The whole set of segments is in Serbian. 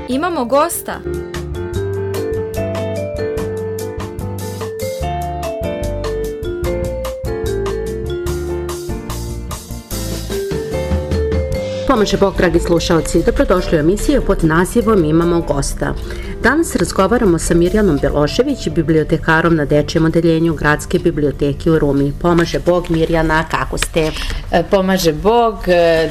Imamo gosta. Pomaže Bog, dragi slušalci, dobrodošli u emisiju pod nazivom Imamo gosta. Danas razgovaramo sa Mirjanom Belošević, bibliotekarom na Dečijem odeljenju Gradske biblioteke u Rumi. Pomaže Bog, Mirjana, kako ste? Pomaže Bog,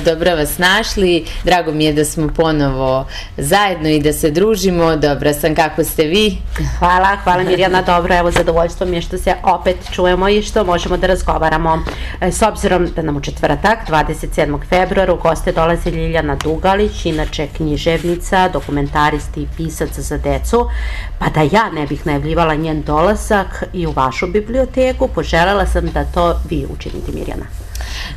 dobro vas našli, drago mi je da smo ponovo zajedno i da se družimo, dobra sam, kako ste vi? Hvala Mirjana, dobro, evo zadovoljstvo mi je što se opet čujemo i što možemo da razgovaramo. S obzirom da nam u četvrtak, 27. februara, u goste dolazi Ljiljana Dugalić, inače književnica, dokumentarist i pisac za decu, pa da ja ne bih najavljivala njen dolazak i u vašu biblioteku, poželjela sam da to vi učinite, Mirjana.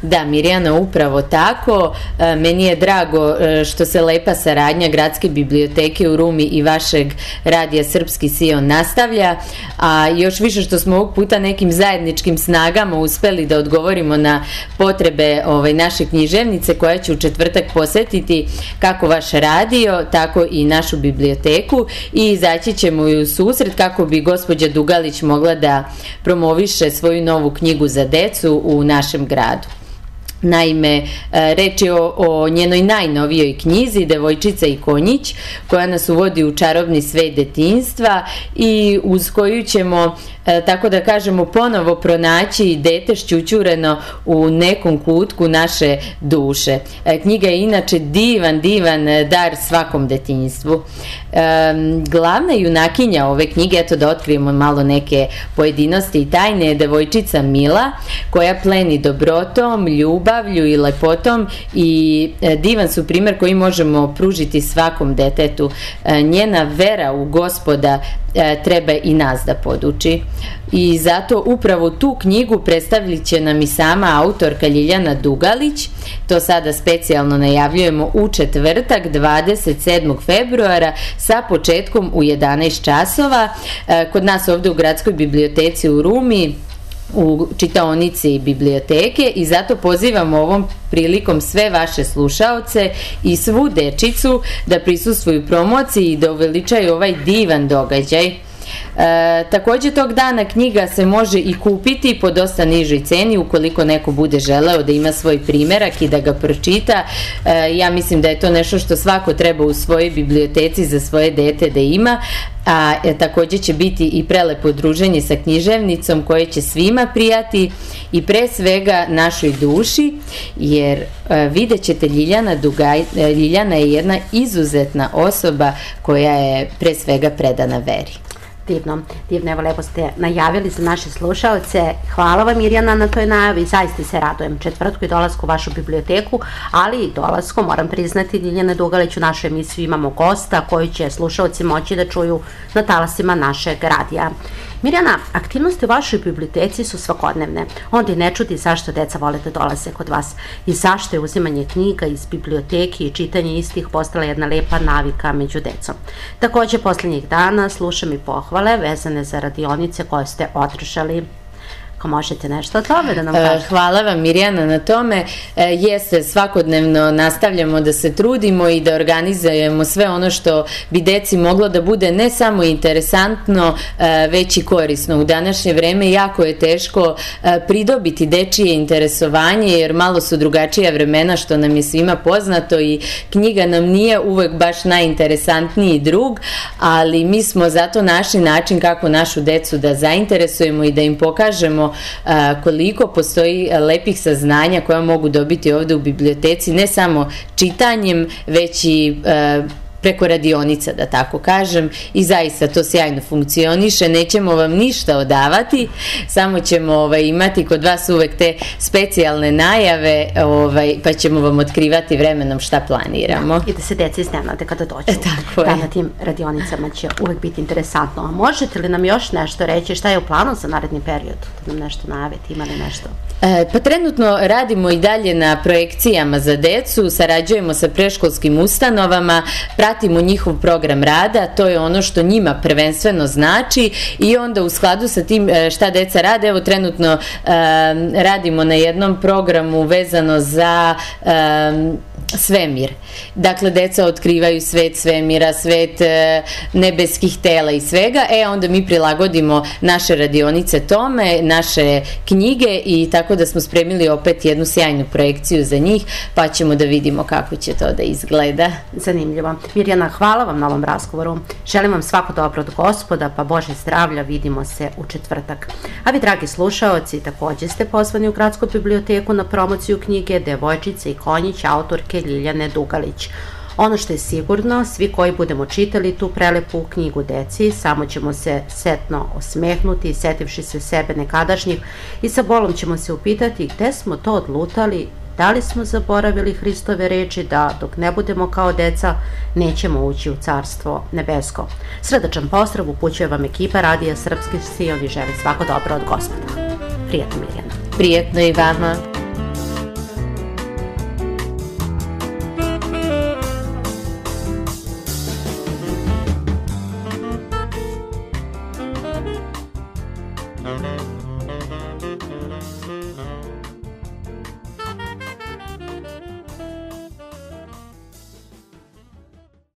Da, Mirjana, upravo tako. Meni je drago što se lepa saradnja Gradske biblioteke u Rumi i vašeg radija Srpski Sion nastavlja, a još više što smo ovog puta nekim zajedničkim snagama uspeli da odgovorimo na potrebe naše književnice koja će u četvrtak posetiti kako vaš radio, tako i našu biblioteku i izaći ćemo i u susret kako bi gospođa Dugalić mogla da promoviše svoju novu knjigu za decu u našem gradu. Naime, reč je o njenoj najnovijoj knjizi Devojčica i konjić, koja nas uvodi u čarobni svet detinjstva i uz koju ćemo, tako da kažemo, ponovo pronaći dete šćućureno u nekom kutku naše duše. Knjiga je inače divan dar svakom detinjstvu. Glavna junakinja ove knjige, eto da otkrijemo malo neke pojedinosti i tajne, je devojčica Mila, koja pleni dobrotom, ljubavlju i lepotom i divan su primjer koji možemo pružiti svakom detetu. Njena vera u Gospoda treba i nas da poduči. I zato upravo tu knjigu predstavit će nam i sama autorka Ljiljana Dugalić. To sada specijalno najavljujemo u četvrtak 27. februara sa početkom u 11 časova kod nas ovdje u Gradskoj biblioteci u Rumi, u čitaonici biblioteke, i zato pozivamo ovom prilikom sve vaše slušaoce i svu dečicu da prisustvuju promociji i da uveličaju ovaj divan događaj. Također tog dana knjiga se može i kupiti po dosta nižoj ceni ukoliko neko bude želeo da ima svoj primerak i da ga pročita. Ja mislim da je to nešto što svako treba u svojoj biblioteci za svoje dete da ima, a također će biti i prelepo druženje sa književnicom koje će svima prijati i pre svega našoj duši, jer vidjet ćete Ljiljana je jedna izuzetna osoba koja je pre svega predana veri. Divno, evo lepo ste najavili za naše slušalce. Hvala vam, Mirjana, na toj najavi, zaista se radujem četvrtku i dolasku u vašu biblioteku, ali i dolasku, moram priznati, Ljiljane Dugalić u našoj emisiji Imamo gosta, koju će slušalci moći da čuju na talasima našeg radija. Mirjana, aktivnosti u vašoj biblioteci su svakodnevne, onda i ne čudi zašto deca vole da dolaze kod vas i zašto je uzimanje knjiga iz biblioteke i čitanje istih postala jedna lepa navika među decom. Također, posljednjih dana slušam i pohvale vezane za radionice koje ste održali. Ako možete nešto o tome da nam kažete. Hvala vam, Mirjana, na tome. Jeste, svakodnevno nastavljamo da se trudimo i da organizujemo sve ono što bi deci moglo da bude ne samo interesantno, već i korisno. U današnje vreme jako je teško pridobiti dečije interesovanje, jer malo su drugačija vremena, što nam je svima poznato, i knjiga nam nije uvek baš najinteresantniji drug, ali mi smo zato našli način kako našu decu da zainteresujemo i da im pokažemo koliko postoji lepih saznanja koja mogu dobiti ovdje u biblioteci, ne samo čitanjem, već i preko radionica, da tako kažem, i zaista to sjajno funkcioniše. Nećemo vam ništa odavati, samo ćemo imati kod vas uvek te specijalne najave, pa ćemo vam otkrivati vremenom šta planiramo. I da se deca iznenade kada dođu. Na tim radionicama će uvek biti interesantno. A možete li nam još nešto reći šta je u planu za naredni period? Da nam nešto najaviti, ima li nešto? Pa trenutno radimo i dalje na projekcijama za decu, sarađujemo sa predškolskim ustanovama, pratimo njihov program rada, to je ono što njima prvenstveno znači, i onda u skladu sa tim šta deca rade, evo trenutno radimo na jednom programu vezano za svemir. Dakle, deca otkrivaju svet svemira, svet nebeskih tela i svega, onda mi prilagodimo naše radionice tome, naše knjige i tako da smo spremili opet jednu sjajnu projekciju za njih, pa ćemo da vidimo kako će to da izgleda. Zanimljivo. Mirjana, hvala vam na ovom razgovoru. Želim vam svako dobro od Gospoda, pa Bože zdravlja, vidimo se u četvrtak. A vi, dragi slušaoci, takođe ste pozvani u Gradsku biblioteku na promociju knjige Devojčica i konjić autorke Ljiljane Dugalić. Ono što je sigurno, svi koji budemo čitali tu prelepu knjigu deci, samo ćemo se setno osmehnuti, setivši se sebe nekadašnjih i sa bolom ćemo se upitati gde smo to odlutali, da li smo zaboravili Hristove reči da dok ne budemo kao deca nećemo ući u Carstvo nebesko. Srdačan pozdrav upućuje vam ekipa Radija Srpski Sion i želi svako dobro od Gospoda. Prijetno, Mirjana. Prijetno i vama. Mm-hmm.